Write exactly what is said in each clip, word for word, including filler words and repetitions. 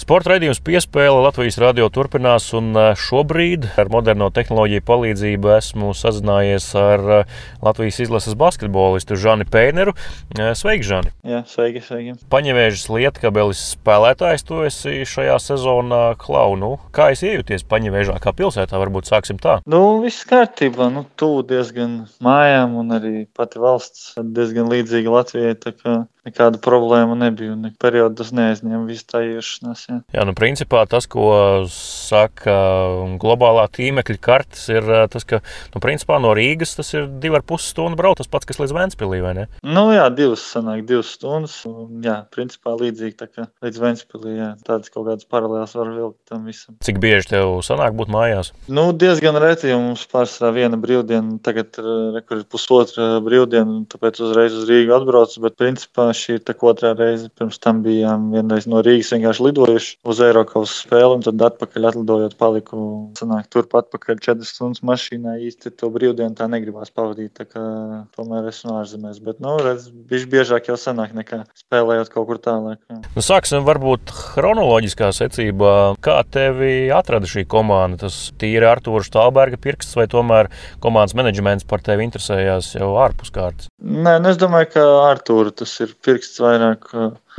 Sporta raidījums Piespēle Latvijas radio turpinās, un šobrīd ar moderno tehnoloģiju palīdzību esmu sazinājies ar Latvijas izlases basketbolistu Žani Peineru. Sveiki, Žani! Jā, sveiki, sveiki! Paņevēžas Lietkabeles spēlētājs tu esi šajā sezonā. Klau, nu, kā esi iejūties Paņevēžā kā pilsētā? Varbūt sāksim tā. Nu, viss kārtībā. Nu, tuvu diezgan mājām, un arī pati valsts diezgan līdzīga Latvijai, tā kā nekāda problēma nebija, un periodu tas neaizņēma visu tā iešanās. Jā. jā, nu principā tas, ko saka globālā tīmekļa kartes, ir tas, ka, nu principā no Rīgas tas ir divi ar pus stundu braukt, tas pats, kas līdz Ventspilī, vai ne? Nu jā, divas sanāk, divas stundas, un jā, principā līdzīgi tā kā līdz Ventspilī, jā, tādas kaut kādas paralēlas var vilkt tam visam. Cik bieži tev sanāk būt mājās? Nu, diezgan reti, jo mums pārsvarā viena brīvdiena, tagad rekur ir pusotra brīvdiena, tāpēc uzreiz uz Rīgu atbraucu, bet principā šī ir tā otrā reize. Pirms tam bijām vienreiz no Rīgas vienkārši lidojuši uz Eirokausas spēli, un tad atpakaļ atlidojot paliku, sanāk, turp atpakaļ četras stundas mašīnā. Īsti to brīvdienu tā negribās pavadīt, tā kā tomēr esmu ārzemēs. Bet, nu, redz, bišķi biežāk jau sanāk nekā spēlējot kaut kur tālāk. Nu, sāksim varbūt chronoloģiskā secībā. Kā tevi atrada šī komanda? Tas tīri Artūra Štālberga pirksts vai tomēr komandas menedžments par tevi interesējās jau ārpus kārtas? Nē, nu, es domāju, ka Artūra tas ir pirksts vairāk.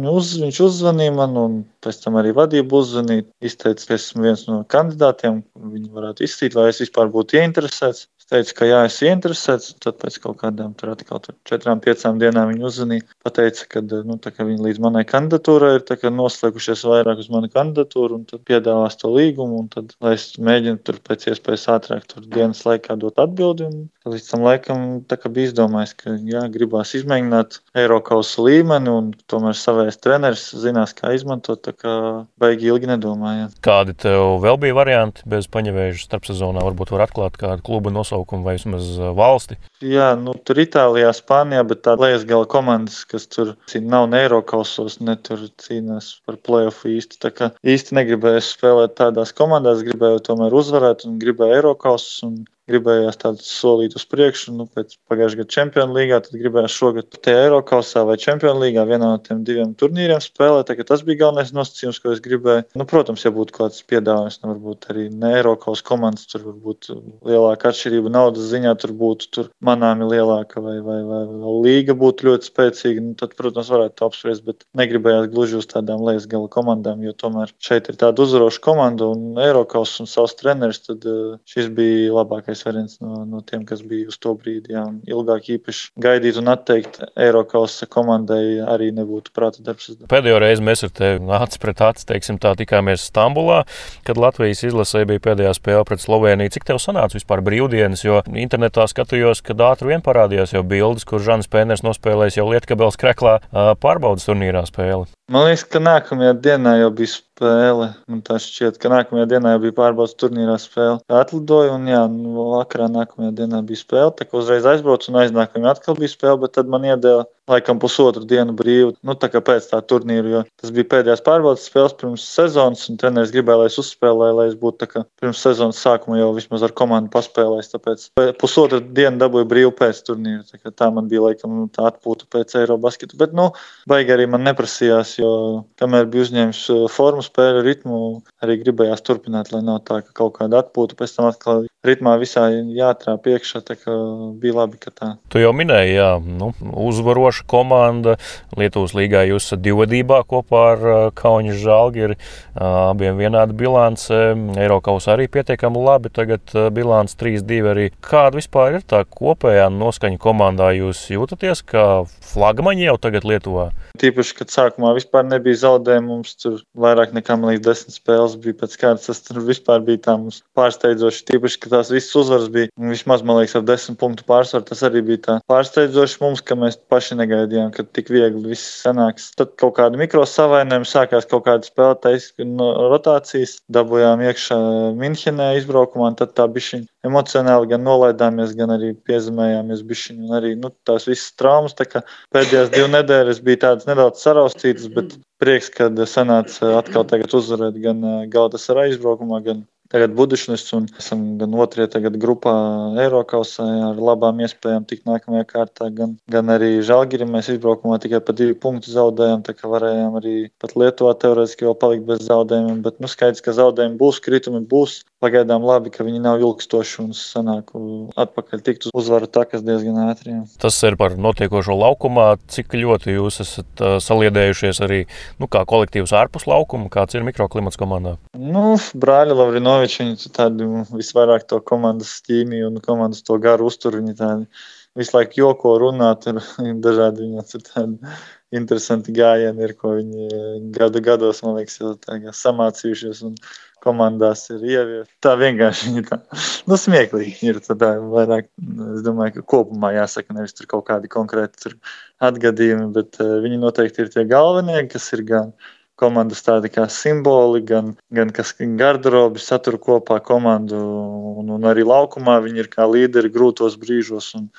Uz, viņš uzzvanīja man, un pēc tam arī vadība uzzvanīja. Izteica, ka esmu viens no kandidātiem, viņi varētu izstīt, vai es vispār būtu ieinteresēts. Es teicu, ka jā, es ieinteresēts, tad pēc kaut kādām tur atkal tur četrām, piecām dienām viņi uzzvanīja. Pateica, ka, nu, tā kā viņi līdz manai kandidatūrai ir tā kā noslēgušies vairāk uz manu kandidatūru, un tad piedāvās to līgumu, un tad, lai es mēģinu tur pēc iespējas ātrāk tur dienas laikā dot atbildi, un līdz tam laikam tā kā bija izdomājis, ka jā, gribās izmēģināt Eirokausu līmeni, un tomēr savējais treneris zinās, kā izmantot, tā kā baigi ilgi nedomājāt. Kādi tev vēl bija varianti bez Paņevēžas starpsezonā? Varbūt var atklāt kādu kluba nosaukumu vai vismaz valsti? Jā, nu tur Itālijā, Spānijā, bet tā lejas gala komandas, kas tur nav ne Eirokausos, ne tur cīnās par play-offu īsti. Tā kā īsti negribēju spēlēt tādās komandās, gribēju tomēr uzvarēt un gribēju Eirokausus un gribējās tādu solīt uz priekšu, nu, pēc pagājušā gada Čempionu līgā, tad gribējās šogad te Eirokausā vai Čempionu līgā vienā no tiem diviem turnīriem spēlēt, tā ka tas bija galvenais nosacījums, ko es gribēju. Nu, protams, ja būtu kāds piedāvājums, nu, varbūt arī ne Eirokaus komandas, tur varbūt lielāka atšķirība naudas ziņā, tur būtu tur manāmi lielāka vai, vai, vai, vai līga būtu ļoti spēcīga, nu, tad, protams, varētu to apspriest, bet negribējās gluži uz tādām lejas gala komandām, jo tomēr šeit ir tāda uzvaroša komanda un Eirokaus un savs treneris, tad šis bija labākais variants no, no tiem, kas bija uz to brīdi. Jā, ilgāk īpaši gaidīt un atteikt Eirokausa komandai arī nebūtu prāta darbs. Pēdējo reizi mēs ar tevi acis pret acis, teiksim tā, tikāmies Stambulā, kad Latvijas izlasē bija pēdējā spēle pret Sloveniju. Cik tev sanāca vispār brīvdienas, jo internetā skatījos, kad ātri vien parādījās jau bildes, kur Žanis Peiners nospēlējis jau Lietkabeles Kreklā pārbaudas turnīrā spēli. Man liekas, ka nākamajā dienā jau bija spēle. Man tā šķiet, ka nākamajā dienā jau bija pārbaudas turnīrā spēle. Atlidoju un jā, nu, vakarā nākamajā dienā bija spēle. Tā kā uzreiz aizbraucu un aiznākamajā atkal bija spēle, bet tad man iedēla laikam pusotru dienu brīvu. Nu, tā kā pēc tā turnīra, jo tas bija pēdējās pārbaudas spēles pirms sezonas un treneris gribēja, lai es uzspēlēju, lai es būtu tā kā pirms sezonas sākuma jau vismaz ar komandu paspēlējis. Tāpēc pusotru dienu dabūju brīvu pēc turnīra. Tā kā tā man bija laikam tā atpūta pēc Eirobasketu. Bet, nu, baigi arī man neprasījās, jo kamēr bija uzņēmis formu, spēļu ritmu, arī gribējās turpināt, lai nav tā, ka kaut kāda atpūta, pēc tam atkal ritmā visā jātrāp iekšā, tā kā bija labi, ka tā. Tu jau minēji, jā, nu, uzvaroša komanda. Lietuvas līgā jūs esat divvadībā kopā ar Kauņa Žalgiri, abiem vienāda bilance. Eirokausā arī pietiekami labi, tagad bilance trīs divi arī. Kāda vispār ir tā kopējā noskaņa komandā? Jūs jūtaties kā flagmaņi jau tagad Lietuvā? Tīpaši, kad sākumā vispār nebija zaudējumi, mums tur vairāk nekā, man liekas, desmit spēles bija pēc kārtas. Tas tur vispār bija tā mums pārsteidzoši. Tīpaši, ka tās visas uzvaras bija vismaz, man liekas, ar desmit punktu pārsvaru. Tas arī bija tā pārsteidzoši mums, ka mēs paši negaidījām, ka tik viegli viss sanāks. Tad kaut kādi mikro savainojumi, sākās kaut kāda spēlētājas no rotācijas, dabūjām iekšā Minhenē izbraukumā, un tad tā bišķiņ emocionāli gan nolaidāmies, gan arī piezemējāmies bišķiņ, un arī, nu, tās visas traumas, tā kā pēdējās divu nedēļas bija tādas nedaudz saraustītas, bet prieks, kad sanāca atkal tagad uzvarēt gan Galatasaray izbraukumā, gan tagad Budušnis un esam gan otrajā tagad grupā Eirokausā ar labām iespējām tikt nākamajā kārtā, gan, gan arī Žalgiri mēs izbraukumā tikai pa divu punktu zaudējām, tā kā varējām arī pat Lietuvā teorētiski vēl palikt bez zaudējumiem, bet nu skaidrs, ka zaudējumi būs, kritumi būs. Pagaidām labi, ka viņi nav ilgstoši un sanāk atpakaļ tikt uz uzvaru takas diezgan ātri. Jā. Tas ir par notiekošo laukumā. Cik ļoti jūs esat uh, saliedējušies arī nu, kā kolektīvs ārpus laukuma? Kāds ir mikroklimats komandā? Nu, brāļi Lavrinoviči, viņi tādi visvairāk to komandas ķīmiju un komandas to garu uztur. Viņi tādi visu laiku joko runā, tur dažādi viņiem tur tādi interesanti gājieni ir, ko viņi gadu gados, man liekas, jau tā samācījušies un komandās ir ievies. Tā vienkārši ir tā, nu, smieklīgi ir tā vairāk, es domāju, ka kopumā jāsaka, nevis tur kaut kādi konkrēti tur atgadījumi, bet uh, viņi noteikti ir tie galvenie, kas ir gan komandas tādi kā simboli, gan, gan kas garderobi satur kopā komandu un, un arī laukumā viņi ir kā līderi grūtos brīžos un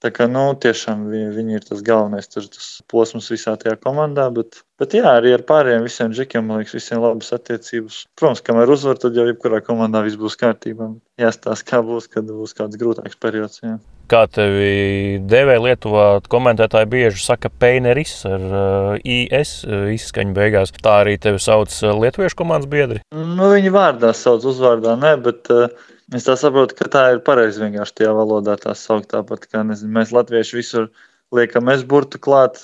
tā kā, nu, tiešām viņi, viņi ir tas galvenais, tur tas posms visā tajā komandā, bet, bet jā, arī ar pārējiem visiem džekiem, man liekas, visiem labas attiecības. Protams, kamēr uzvar, tad jau jebkurā komandā viss būs kārtībā. Jāstāsta, kā būs, kad būs kāds grūtāks periods. Jā. Kā tevi devē Lietuvā, komentētāji bieži saka Peineris ar uh, I S uh, izskaņu beigās. Tā arī tevi sauc lietuviešu komandas biedri? Nu, viņi vārdā sauc, uzvārdā nē, bet uh, es tā saprotu, ka tā ir pareizi vienkārši tajā valodā tā saukt tāpat, kā, nezinu, mēs latvieši visur liekam es burtu klāt,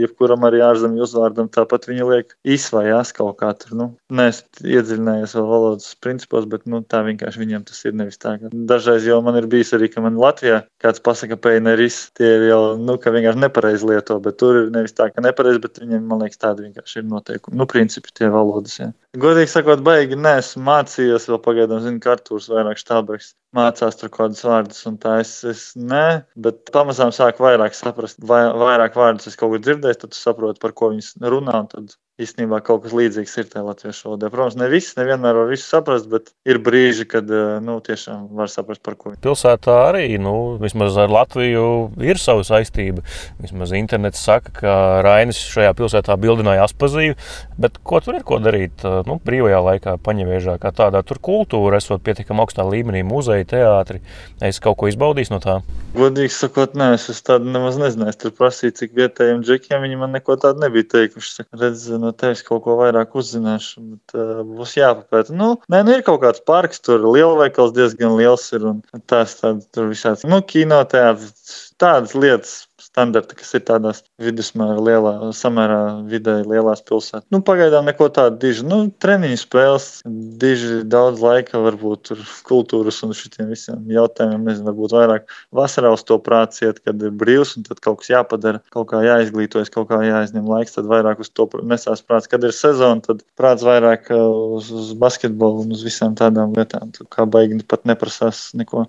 jebkuram arī ārzemju uzvārdam, tāpat viņi liek is vai as kaut kā tur, nu, neesmu iedziļinājies vēl valodas principos, bet, nu, tā vienkārši viņiem tas ir nevis tā. Dažreiz jau man ir bijis arī, ka man Latvijā kāds pasaka peineris, tie ir jau, nu, ka vienkārši nepareizi lieto, bet tur ir nevis tā, ka nepareizi, bet viņiem, man liekas, tādi vienkārši ir noteikumi, nu, principi tie valodas, jā. Godīgi sakot, baigi neesmu mācījies, vēl pagaidām, zinu, ka Artūrs vairāk Štābergs mācās tur kādus vārdus, un tā es, es ne, bet pamazām sāku vairāk saprast, vai, vairāk vārdus es kaut kur dzirdēju, tad tu saproti, par ko viņas runā, un tad īstenībā kaut kas līdzīgs ir tajā latviešu valodā. Protams, ne viss, nevienmēr var visu saprast, bet ir brīži, kad, nu, tiešām var saprast, par ko. Pilsētā arī, nu, vismaz ar Latviju ir sava saistība. Vismaz internets saka, ka Rainis šajā pilsētā bildināja Aspaziju, bet ko tur ir ko darīt, nu, brīvajā laikā, Paņeviežā, kā tādā tur kultūra, esot pietiekam augstā līmenī, muzeja, teātri. Es kaut ko izbaudīju no tā? Godīgi sakot, nē, es, es tādu nemaz nezināju. Es tur prasīju, cik vietējiem džekiem viņi man neko tādu nebija teikuši. Redz, no tevis kaut ko vairāk uzzināšu, bet uh, būs jāpapēta. Nu, nē, nu ir kaut kāds parks, tur lielveikals diezgan liels ir un tās tādas tur visāds, nu, kino, teātris, tādas lietas standarta, kas ir tādās vidusmēra lielā, samērā vidēji lielās pilsētās. Nu, pagaidām neko tādu diži, nu, treniņu spēles, diži daudz laika varbūt tur kultūras un šitiem visiem jautājumiem, nezinu, varbūt vairāk vasarā uz to prāts iet, kad ir brīvs un tad kaut kas jāpadara, kaut kā jāizglītojas, kaut kā jāizņem laiks, tad vairāk uz to nesās prāts. Kad ir sezona, tad prāts vairāk uz, uz basketbolu un uz visām tādām lietām, tad kā baigi pat neprasās neko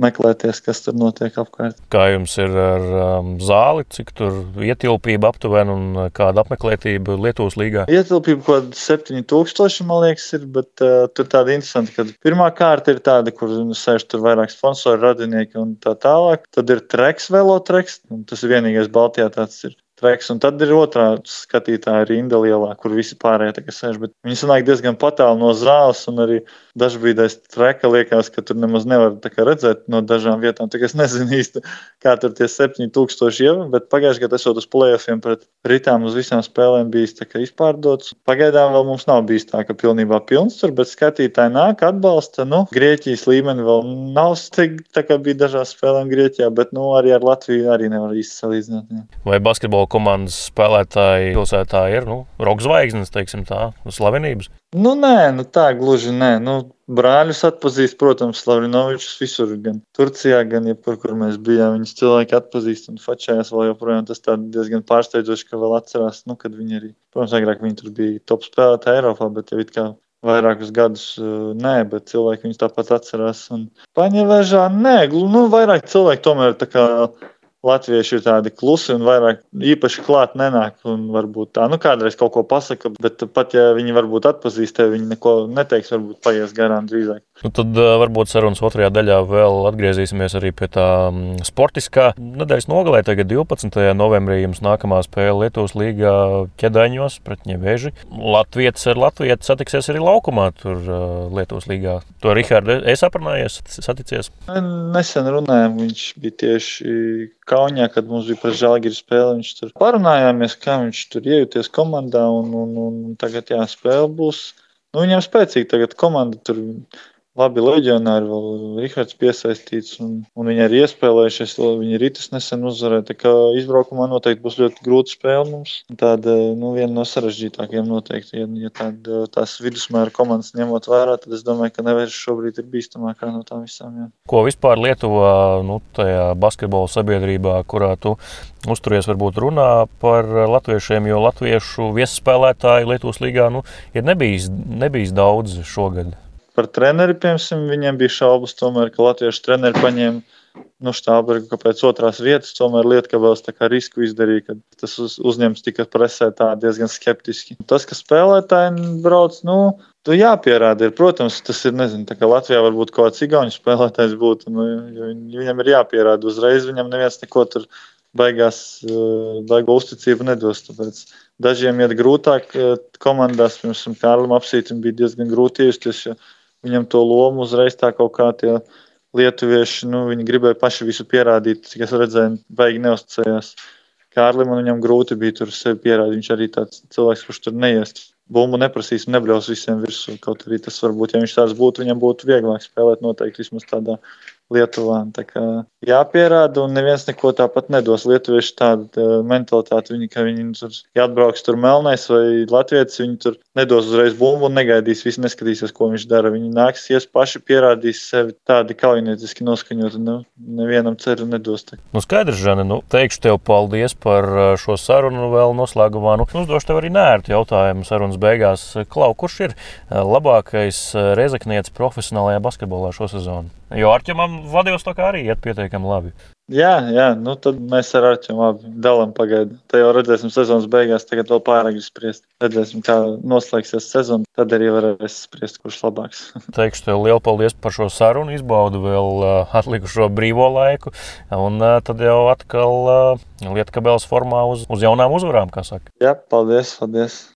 meklēties, kas tur notiek apkārt. Kā jums ir ar um, zāli, cik tur ietilpība aptuveni un kāda apmeklētība Lietuvas līgā? Ietilpība kaut kāda septiņi tūkstoši, man liekas, ir, bet uh, tur tāda interesanta, ka pirmā kārta ir tāda, kur sēž tur vairāk sponsori, radinieki un tā tālāk. Tad ir treks, velotreks, un tas ir vienīgais Baltijā tāds ir. Treks, un tad ir otrā skatītāja rinda lielā, kur visi pārējie tagad sēž, bet viņi sanāk diezgan patāli no zāles, un arī dažbrīdais treka liekas, ka tur nemaz nevar tā kā redzēt no dažām vietām, tā kā es nezinu īsti, kā tur tie septiņi tūkstoši jau, bet pagājuši gadu esot uz play-offiem pret Ritām uz visām spēlēm bijis tā kā izpārdots. Pagaidām vēl mums nav bijis tā, ka pilnībā pilns tur, bet skatītāji nāk, atbalsta, nu, Grieķijas līmeni vēl nav stig, tā kā bija dažās spēlēm Grieķijā, bet, nu, arī ar Latviju arī nevar īsti salīdzināt. Jā. Vai basketbola komandas spēlētāji pilsētā ir, nu, roka zvaigznes, teiksim tā, slavenības? Nu, nē, nu tā gluži nē. Nu, brāļus atpazīst, protams, Lavrinovičus visur, gan Turcijā, gan jebkur, kur mēs bijām. Viņus cilvēki atpazīst un fačējās vēl joprojām. Tas tā diezgan pārsteidzoši, ka vēl atcerās, nu, kad viņi arī, protams, agrāk viņi tur bija top spēlētāji Eiropā, bet jau it kā vairākus gadus nē, bet cilvēki viņus tāpat atcerās. Un Paņevežā, nē, nu, vairāk cilvēki tomēr tā kā latvieši ir tādi klusi un vairāk īpaši klāt nenāk. Un varbūt tā, nu kādreiz kaut ko pasaka, bet pat ja viņi varbūt atpazīst tevi, viņi neko neteiks, varbūt paies garām drīzāk. Nu, tad varbūt sarunas otrajā daļā vēl atgriezīsimies arī pie tā sportiskā. Nedēļas nogalē tagad divpadsmitajā novembrī jums nākamā spēle Lietuvas līgā Ķedaņos pret Ņeveži. Latvietis ar Latvietu satiksies arī laukumā tur Lietuvas līgā. To Rihardu es aprunājies, saticies? Nesen runājām, viņš bija tieši Kaunijā, kad mums bija pret Žalgiris spēle. Viņš tur parunājāmies, kā viņš tur iejūties komandā un, un, un tagad jā, spēle būs. Nu, viņam spēcīgi tagad komanda tur. Labi leģionāri, vēl Rihards piesaistīts, un, un viņi arī iespēlējušies, viņi Ritas nesen uzvarēja, tā kā izbraukumā noteikti būs ļoti grūta spēle mums. Tāda, nu, viena no sarežģītākajiem noteikti, ja, ja tāda, tās vidusmēra komandas ņemot vērā, tad es domāju, ka Neveža šobrīd ir bīstamākā no tām visām. Jā. Ko vispār Lietuvā, nu, tajā basketbola sabiedrībā, kurā tu uzturies, varbūt runā par latviešiem, jo latviešu viesspēlētāji Lietuvas līgā, nu, ir nebijis, nebijis daudz šogad. Par treneri, piemēram, viņiem bija šaubas, tomēr, ka latviešu treneri paņēma nu, Štābergu, ka pēc otrās vietas, tomēr Lietkabels tā kā risku izdarīja, ka tas uz, uzņems tika presē tā diezgan skeptiski. Tas, ka spēlētāji brauc, nu, tu jāpierāda ir, protams, tas ir, nezinu, tā kā Latvijā varbūt kaut kāds igauņu spēlētājs būtu, nu, jo viņam ir jāpierāda uzreiz, viņam neviens neko tur baigās, baigo uzticību nedos, tāpēc dažiem iet grūtāk komandās, piemēram, Kārlim Apsītim bija diezgan grūti iejusties, jo viņam to lomu uzreiz tā kaut kā tie lietuvieši, nu, viņi gribēja paši visu pierādīt, cik es redzēju, baigi neuzticējās. Kārlim un viņam grūti bija tur sevi pierādīt, viņš arī tāds cilvēks, kurš tur neiest. Bumbu neprasīs un nebļaus visiem virsū, kaut arī tas varbūt, ja viņš tāds būtu, viņam būtu vieglāk spēlēt noteikti vismaz tādā Lietuvā. Tā kā jāpierāda un neviens neko tāpat nedos. Lietuvieši tāda mentalitāte, viņi, ka viņi tur, ja atbrauks tur melnais vai latvietis, viņi tur nedos uzreiz bumbu un negaidīs, visi neskatīsies, ko viņš dara. Viņi nāksies paši pierādīs sevi tādi kaujinieciski noskaņot, nu, nevienam ceru nedos. Tā. Nu skaidrs, Žane, nu, teikšu tev paldies par šo sarunu vēl noslēgumā. Nu, uzdošu tev arī nērtu jautājumu sarunas beigās. Klau, kurš ir labākais rezeknietis profesionālajā basketbolā šo sezonu? Jo Arķemam Vladivostokā arī iet pietiekami labi. Jā, jā, nu tad mēs ar Arķemu abi dalam pagaidu. Te jau redzēsim sezonas beigās, tagad vēl pārāk spriest. Redzēsim, kā noslēgsies sezona, tad arī varēs spriest, kurš labāks. Teikšu tev lielu paldies par šo sarunu, izbaudu vēl uh, atlikušo brīvo laiku, un uh, tad jau atkal uh, Lietkabeles formā uz, uz jaunām uzvarām, kā saka. Jā, paldies, paldies.